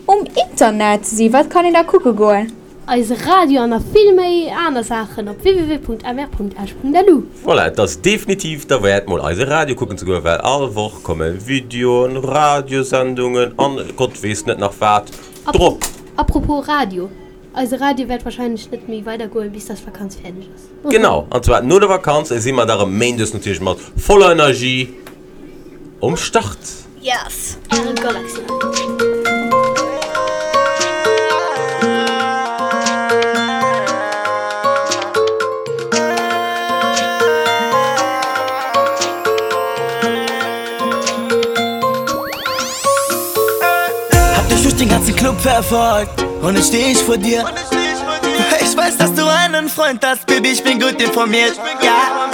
um Internet ze sinn. Wat kann een da kucke goen? Eise Radio an nach vill méi aner Saachen op www.mr.esch.lu. Voilà, et ass definitiv derwäert mol eise Radio kucken ze goen, well all Woch komme Videoen, Radiosendungen an Gott weess net nach wat drop. Apropos Radio, eise Radio wäert wahrscheinlech net méi weider goen bis dass d'Vakanz fäerdeg ass. Genau, an zwar no der Vakanz si mer da rëm méindes natierlech mat voller Energie um Start. Yes! Äre Galaxy Radio. Hab dich durch den ganzen Club verfolgt und jetzt steh ich vor dir. Ich weiß, dass du einen Freund hast, Baby, ich bin gut informiert. Ja,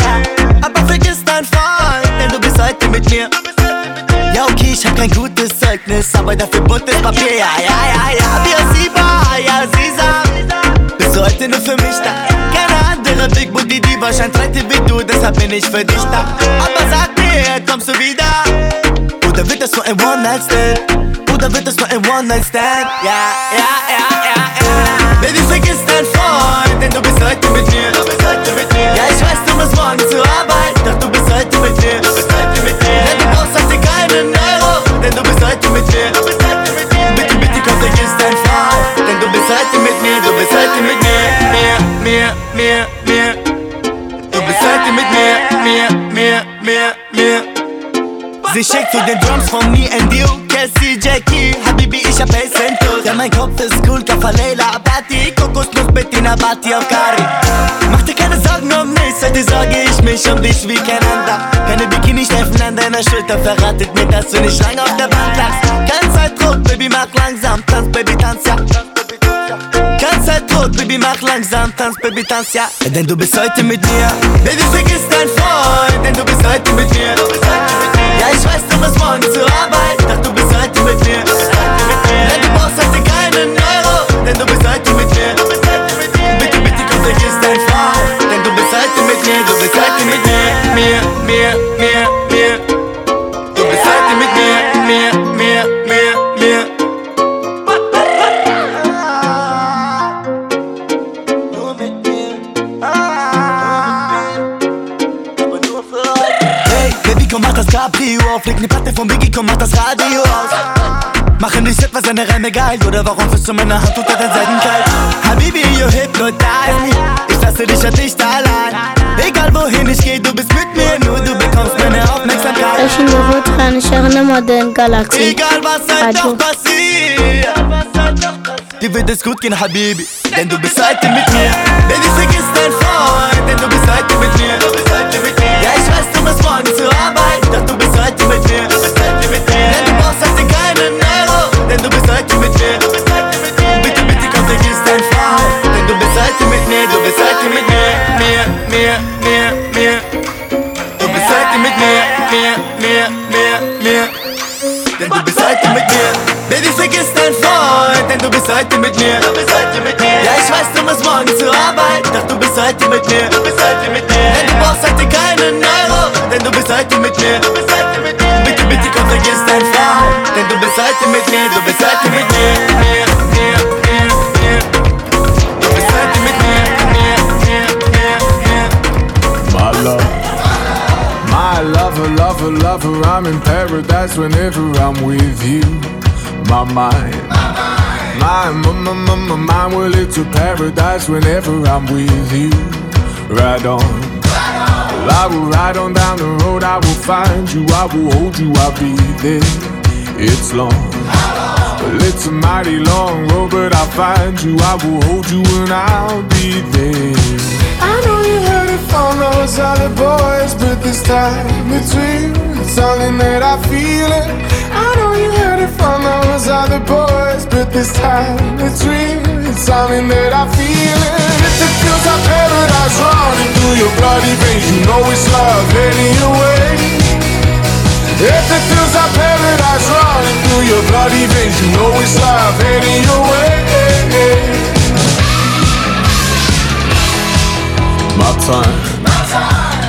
aber vergiss dein Freund, denn du bist heute mit mir. Ja, okay, ich hab kein gutes Zeugnis, aber dafür buntes Papier. Ja, ja, ja, ja, Biosiba, ja, Sisa. Bist du heute nur für mich da? Keine andere Big Booty Diva scheint heute wie du, deshalb bin ich für dich da. Aber sag mir, kommst du wieder? Oder wird das nur ein One-Night-Stand? Oder wird das nur ein One-Night-Stand? Ja, ja, ja, ja, ja. Baby, vergiss dein Freund, denn du bist heute mit mir. Du bist heute mit mir. Ja, ich weiß, du musst morgen zur Arbeit, doch du bist heute mit mir. Du bist heute mit mir. Denn du brauchst heute keinen Euro, denn du bist heute mit mir. Du bist heute mit mir. Bitte, bitte komm, vergiss dein Freund, denn du bist heute mit mir. Du bist heute mit mir, mir, mir, mir, mir. Du bist heute mit mir, mir, mir, mir, mir. Sie schickt zu den Drums von me and you Cassie, Jackie, Habibi, ich hab Acento Ja, mein Kopf ist cool, Kafalela, Abati Kokosnuss mit Inabati auf Kari Mach dir keine Sorgen um mich, heute sorge ich mich um dich wie kein anderer Keine Bikini-Streifen an deiner Schulter verratet mir, dass du nicht lange auf der Bank lagst Kein Zeitdruck, Baby, mach langsam, tanz, Baby, tanz, ja Kein Zeitdruck, Baby, mach langsam, tanz, Baby, tanz, ja Denn du bist heute mit mir Baby, vergiss dein Freund, denn du bist heute mit mir Du bist heute mit mir Ja, ich weiß, du musst morgen zur Arbeit, doch du bist heute mit mir Du bist heute mit mir Denn du brauchst heute keinen Euro, denn du bist heute mit mir Du bist heute mit mir Bitte, bitte komm, vergiss dein Freund, denn du bist heute mit mir Du bist heute mit mir, mir, mir, mir, mir Du bist heute mit mir, mir, mir, mir, mir Hey, Baby, komm, mach das Cabrio auf Leg ne Platte von Biggie, komm, mach das Radio aus Machen dich etwa seine Reime geil Oder warum fühlst du meine Hand unter dein Seidenkleid? Habibi, you hypnotize me Ich lasse dich ja nicht allein Egal wohin ich geh, du bist mit mir Nur du bekommst meine Aufmerksamkeit Ech hunn de Rotran, ech héieren ëmmer de Galaxy Egal was halt Radio. noch passiert Dir wird es gut gehen, Habibi Denn du bist heute mit mir Baby, vergiss dein Freund Denn du bist heute mit mir Du bist heute mit mir Ja, ich weiß, du musst morgen zur Arbeit Doch du bist heute mit mir Du bist heute mit mir Denn du brauchst heute keinen Euro Denn du bist heute mit mir Du bist heute mit mir Bitte, bitte komm, vergiss dein Freund Denn du bist heute mit mir Du bist heute mit mir Mir, mir, mir, mir Du bist heute mit mir Mir, mir, mir, mir Denn du bist heute mit mir Baby, vergiss dein Freund Denn du bist heute mit mir Du bist heute mit mir Ja, ich weiß, du musst morgen zur Arbeit Doch du bist heute mir. Du bist heute mit mir. Denn du brauchst heute keinen Euro, denn du bist heute mit mir. Du bist heute mit mir. Bitte, bitte komm, vergiss dein Frau, denn du bist heute mit mir, du bist heute mit mir. Mir, mir, mir, mir. Du bist heute mit mir, mir, mir, mir, mir. My love. My lover, lover, lover, I'm in paradise whenever I'm with you. My mind, my, my, my, my, my mind, well, it's a paradise whenever I'm with you. Ride on. Well, I will ride on down the road, I will find you, I will hold you, I'll be there. It's long. Well, it's a mighty long road, but I'll find you, I will hold you, and I'll be there. I know you heard it from those other boys, but this time it's real. It's something that I feel it. I know you heard it from those other boys, but this time it's real. It's something that I feel it. If it feels like paradise running through your bloody veins, you know it's love heading your way. If it feels like paradise running through your bloody veins, you know it's love heading your way. My time.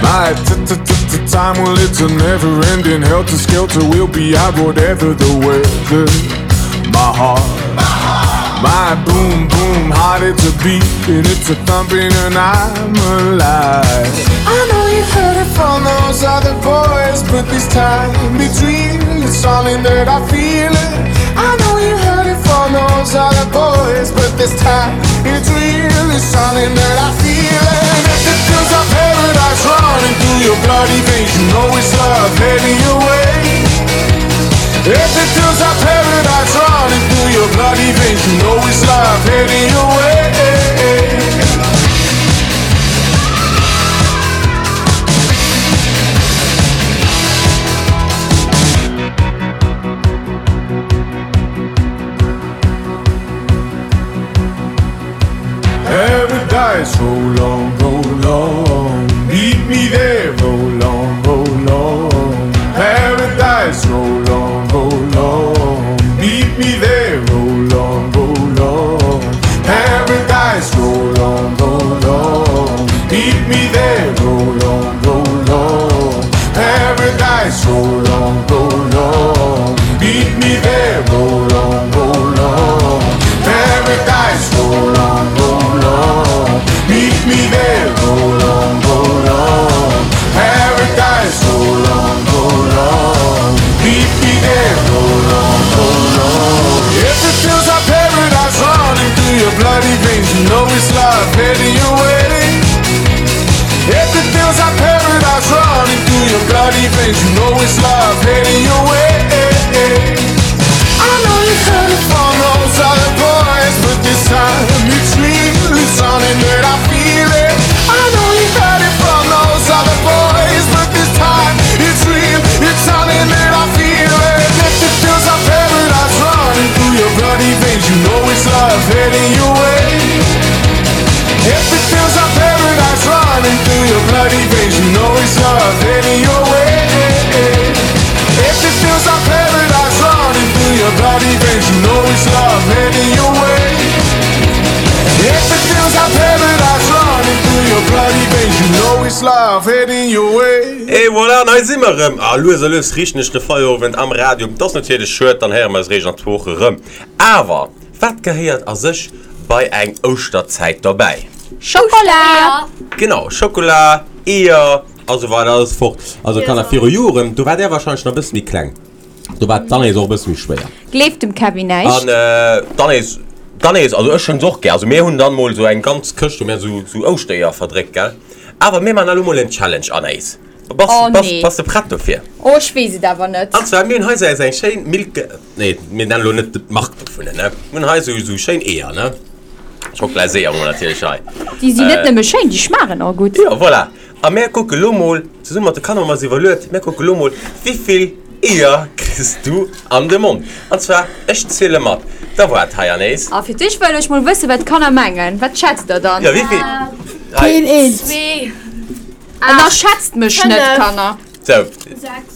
My t t t t time, well, it's a never ending helter skelter. We'll be out whatever the weather. My heart, my boom boom heart, it's a beat and it's a thumping, and I'm alive. I know you heard it from those other boys, but this time it's real. It's something that I feel it. I know you heard it from those other boys, but this time it's real. It's something that I feel it. If it feels like paradise running through your bloody veins, you know it's love heading your way. If it feels like paradise running through your bloody veins, you know it's love heading your way. Paradise, roll on, roll on. Meet me there, roll on, roll on. Paradise, roll on, roll on. Meet me there, roll on, roll on. Paradise, roll on, roll on. Meet me there, roll on, roll on. Paradise, roll on, roll on. Meet me there, roll on, roll on. Paradise, roll on, roll on. Meet me there, roll on, roll on. Paradise, roll on, roll on. Meet me there, roll on, roll on. If it feels like paradise running through your bloody veins, you know it's love heading your way. If it feels like paradise running through your bloody veins, you know it's love heading your way. I know you heard it from those other boys, but this time it's real. It's something that I feel it. I know you heard it from those other boys, but this time it's real. It's something that I feel it. If it feels like paradise running through your bloody veins, you know it's love heading your way. If it feels like paradise running through your bloody veins, you know it's love heading your way. If it feels like paradise running through your bloody veins, you know it's love heading your way. If it feels like paradise running through your bloody veins, you know it's love heading your way. Et voilà, hei si mer erëm. A lues a lues riichten ech de Feierowend am Radio. Dat ass natierlech schued, dann héiere mer eis réischt an zwou Woche erëm. Awer wat gehéiert a sech bei eng Ouschterzäit dobäi? Schokola! Genau, Schokola, Eeër a sou weider a sou fort. Also Kanner, viru Joren, do waart där warscheinlech nach e bësse méi kleng, do war d'Anaïs och e bësse méi schwéier. Gleeft dem Kevin näischt. An d'Anaïs, d'Anaïs, also ech hunn se och gär. Also mir hunn dann mol sou eng ganz Këscht, hu mir sou, sou Ouschtereeër verdréckt, gell. Awer mir man elo mol en Challenge, Anaïs. Bass, Oh bass, nee. bass de prett dofir? Oh, ech weess et awer net. An zwar, mir hunn hei sou eng schéin Milke, nee, mir nennen elo net d'Mark dovunner, ne. Mir hunn hei sou, sou schéin Eeër, ne. Schokolaseeër hu mer natierlech hei. Déi sinn net nëmme schéin, déi schmaachen och gutt. Jo, voilà. A mär kucke lo mol, zesumme mat de Kanner hu mer eis iwwerluet, mär kucke lo mol, wéivill Eeër kriss du an de Mond. An zwar, ech ziele mat. Da waart hei, Anaïs. A fir d'éischt wëll ech mol wëssen, wat d'Kanner mengen. Wat schätzt der dann? Jo, wéivill? Hei. Keen eent. Zwee. Ënnerschätzt mech net, Fënnef. Kanner. Sou. Sechs.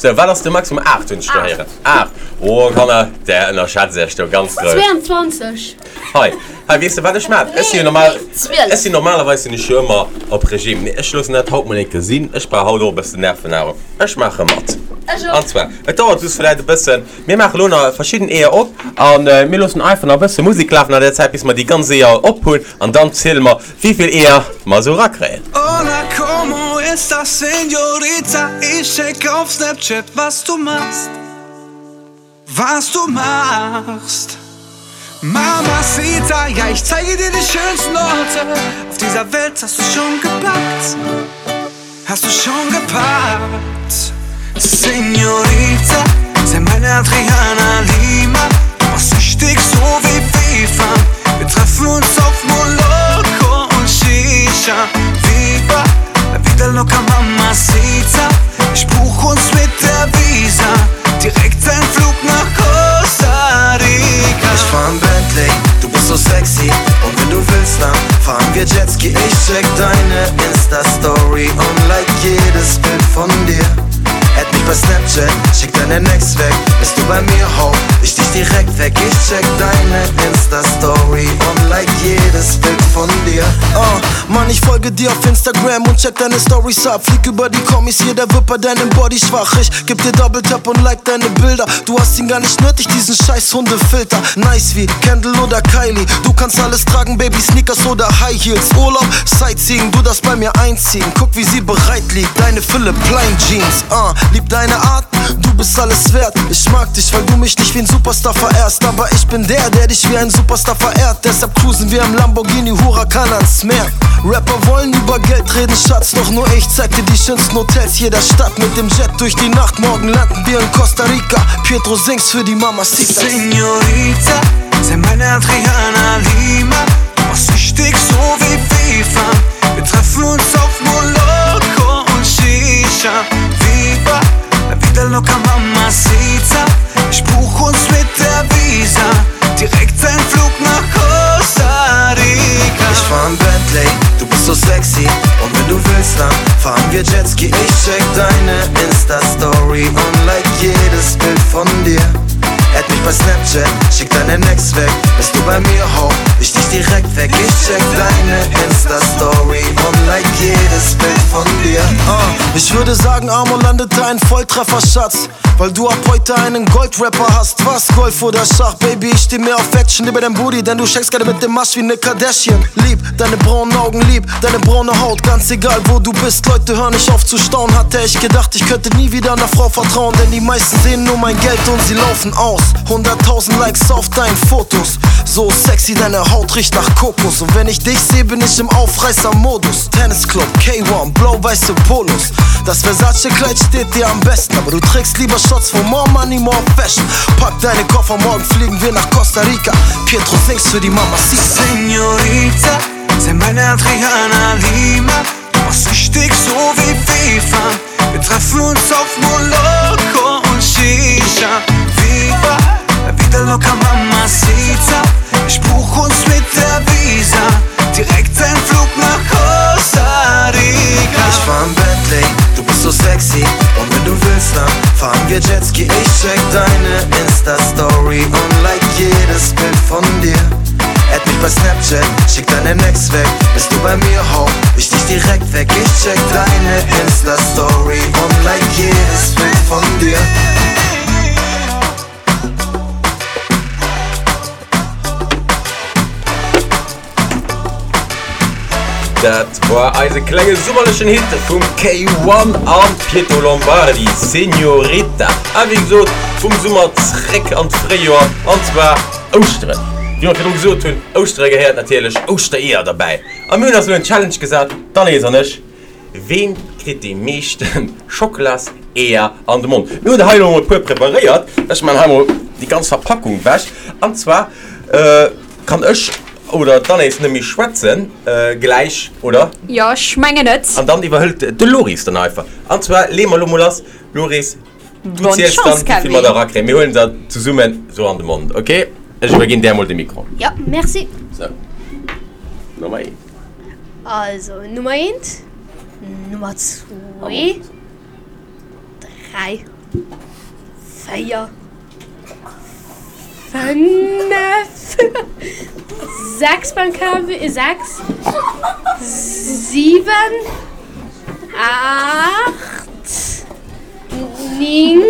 Sou, wat ass de Maximum? Aacht hunn ech do héieren. Aacht. Oh, Kanner, där ënnerschätzt iech do ganz grouss. Zweiundzwanzeg. Hei, Hei, weess de wat ech maan? Ech sinn jo normal, Zwielef. ech sinn normalerweis sinn ech jo ëmmer op Regime, mee ech loossen dat haut mol eng Kéier sinn. Ech brauch haut och e bëssen Nervennahrung. Ech maache mat. Ech och. An zwar, et dauert just vläit e bëssen, mir maache lo nach verschidden Eeër op an mir loossen einfach nach e bësse Musek lafen an der Zäit, bis mer déi ganz Eeër op hunn an dann ziele mer, wéivill Eeër mer esou erakréien. Hola, como estas, señorita? Ich check auf Snapchat, was du machst. Was du machst. Mamacita, ja, ich zeige dir die schönsten Orte auf dieser Welt hast du schon gepackt. Hast du schon gepackt. Señorita, sei meine Adriana Lima. Du machst süchtig so wie FIFA. Wir treffen uns auf Moloko und Shisha. Viva, la vida loca, Mamacita. Ich buch uns mit der Visa direkt ein Flug nach Costa Rica. Ich fahr 'n Bentley, du bist so sexy Und wenn du willst, dann fahren wir Jetski Ich check deine Insta-Story und like jedes Bild von dir Add mich bei Snapchat, schick deinen Ex weg Bist du bei mir, hau ich dich direkt weg Ich check deine Insta-Story und like jedes Bild von dir Ah, Mann, ich folge dir auf Instagram und check deine Stories ab. Flieg über die Kommis, jeder wird bei deinem Body schwach. Ich geb dir Double Tap und like deine Bilder. Du hast ihn gar nicht nötig, diesen scheiß Hundefilter. Nice wie Kendall oder Kylie. Du kannst alles tragen, Baby, Sneakers oder High Heels. Urlaub, Sightseeing, du darfst bei mir einziehen. Guck, wie sie bereit liegt, deine Philipp Plein Jeans. Ah, lieb deine Art, du bist alles wert. Ich mag dich, weil du mich nicht wie ein Superstar verehrst. Aber ich bin der, der dich wie ein Superstar verehrt. Deshalb cruisen wir im Lamborghini Huracan ans Meer. Rapper wollen über Geld reden, Schatz. Doch nur ich zeig dir die schönsten Hotels jeder Stadt. Mit dem Jet durch die Nacht, morgen landen wir in Costa Rica. Pietro singst für die Mamacitas. Señorita, sei meine Adriana Lima. Du machst süchtig so wie FIFA. Wir treffen uns auf Moloko und Shisha. Viva, la vida loca, Mamacita. Ich buch uns mit der Visa direkt ein Flug nach Costa Rica. Ich fahr 'n Bentley, du bist so sexy Und wenn du willst, dann fahren wir Jetski Ich check deine Insta-Story und like jedes Bild von dir Add mich bei Snapchat, schick deinen Ex weg Bist du bei mir, hau ich dich direkt weg Ich check deine Insta-Story und like jedes Bild von dir Ah, ich würde sagen, Amor landete ein Volltreffer, Schatz. Weil du ab heute einen Goldrapper hast. Was? Golf oder Schach, Baby, ich steh mehr auf Action über dein Booty, denn du schenkst gerne mit dem Masch wie ne Kardashian. Lieb, deine braunen Augen, lieb, deine braune Haut, ganz egal wo du bist. Leute hören nicht auf zu staunen. Hatte ich gedacht, ich könnte nie wieder einer Frau vertrauen, denn die meisten sehen nur mein Geld und sie laufen aus. Hunderttausend Likes auf deinen Fotos. So sexy, deine Haut riecht nach Kokos. Und wenn ich dich sehe, bin ich im Aufreißer-Modus. Tennisclub, K eins, blau-weiße Polos. Das Versace-Kleid steht dir am besten, aber du trägst lieber Shots von More Money, More Fashion. Pack deine Koffer, morgen fliegen wir nach Costa Rica. Pietro singst für die Mamacita. Señorita, sei meine Adriana Lima. Du machst süchtig so wie FIFA. Wir treffen uns auf Moloko und Shisha. Viva, la vida loca, Mamacita. Ich buch uns mit der Visa direkt ein Flug nach Costa Rica. Ich fahr 'n Bentley, du bist so sexy Und wenn du willst, dann fahren wir Jetski Ich check deine Insta-Story und like jedes Bild von dir Add mich bei Snapchat, schick deinen Ex weg Bist du bei mir, hau ich dich direkt weg Ich check deine Insta-Story und like jedes Bild von dir Dat war eise klenge summerlechen Hit vum Kay One an Pietro Lombardi, Señorita. A wéi gesot, vum Summer zréck an d'Fréijoer, an zwar Ouschteren. Wéi mer virdru gesot hunn, Ouschtere gehéiert natierlech Ouschtereeër derbäi. A mir hunn eis elo en Challenge gesat, d'Anaïs an ech, Ween kritt déi meeschten Schockelas-Eeër an de Mond? Mir hunn der hei elo emol e puer preparéiert. Ech man hei emol déi ganz Verpackung wech. An zwar kann ech oder d'Anaïs net méi schwätzen gläich, oder? Jo, ech mengen et. An dann iwwerhëlt de Loris dann einfach. An zwar leeë mer elo mol lass. Loris, du Bonne ziels Chance, dann, wéi vill Kevin. mer der erakréien. Mir huelen der zesummen esou an de Mond, ok? Ech iwwerginn där emol de Mikro. Ja, merci. Sou, Nummer eent. Also, Nummer eent, Nummer zwee, dräi, véier, Fënnef, sechs beim Kevin, sechs, siwen, aacht, néng,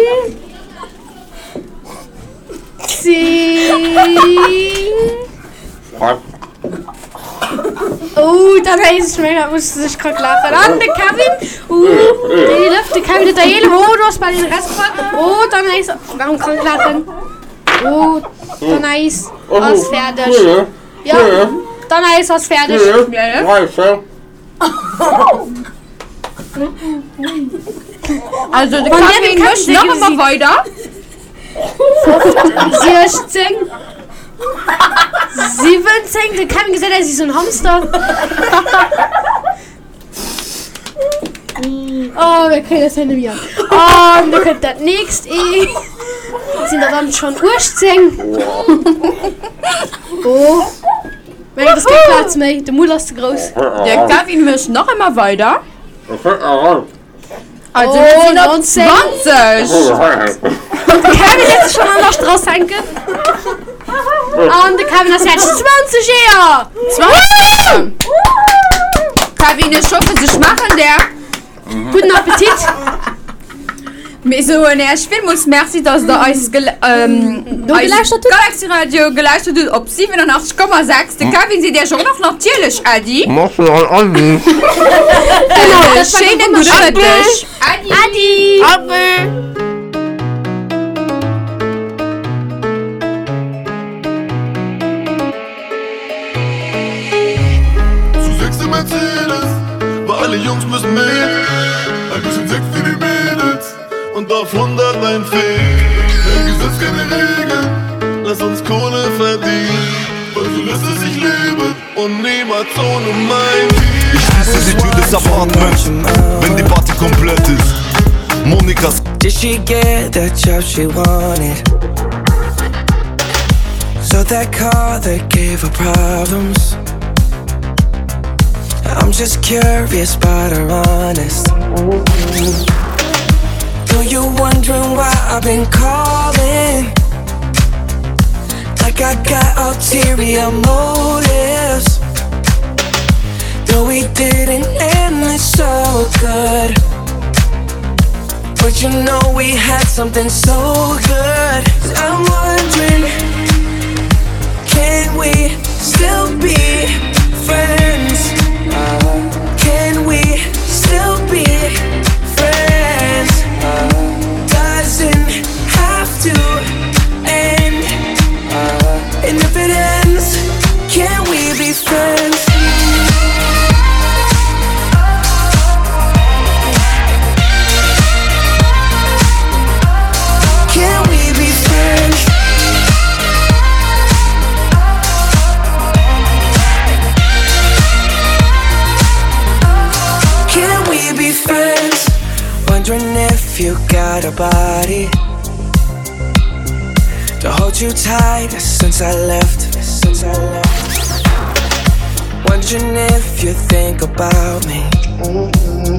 zéng. Oh, dann hees ech mengen, dat muss sech krank laachen. An de Kevin, uh, eelef, de Kevin huet der eelef, oh, du hues bal den Rest gefall. Oh, dann hees, warum krank laachen? Oh, dann hees ass fäerdeg. Ja, dann hees ass fäerdeg. Also de Kevin mécht nach ëmmer weider. siechzéng, siwwenzéng, de Kevin gesäit aus wéi sou en Hamster. Oh, mir kréien dat hei net méi an. An da kënnt dat nächst Ee. Dat sinn der dann schonn uechtzéng. Oh, mä et ass keng Plaz méi, de Mull ass ze grouss. De Kevin mécht nach ëmmer weider. Also mir sinn op zwanzeg. De Kevin lässt sech schonn an der Strass hänken. An de Kevin ass fäerdeg. Zwanzeg Eeër! Zwanzeg! Kevin, ech hoffe se schmaachen där. Gudden Appetit! Mir soen Äech villmools Merci, dass der eis eis Galaxy Radio gelauschtert hutt op siwenunachtzeg Komma sechs. De Kevin seet Äech och nach natierlech Äddi. Merci an Äddi. Genau, schéinen gudde Mëtteg. Äddi. Äddi. Zu sechs im Mercedes, weil alle Jungs müssen mit. Ein bisschen Sex für die Mädels und auf hundert ein Fick. Kein Gesetz, keine Regeln, lass uns Kohle verdienen. Weil so lässt es sich leben und niemals ohne mein Team. Ich schließe die Tür des Apartments, wenn die Party komplett ist. Monikas Did she get the job she wanted? So that car that gave her problems I'm just curious but her honest Though you're wondering why I've been calling Like I got ulterior motives Though we didn't end this so good But you know we had something so good I'm wondering Can we still be friends? Can we still be friends? Doesn't have to end And if it ends, can we be friends? Can we be friends? Can we be friends? Wondering if you got a body To hold you tight since I left Since I left Wondering if you think about me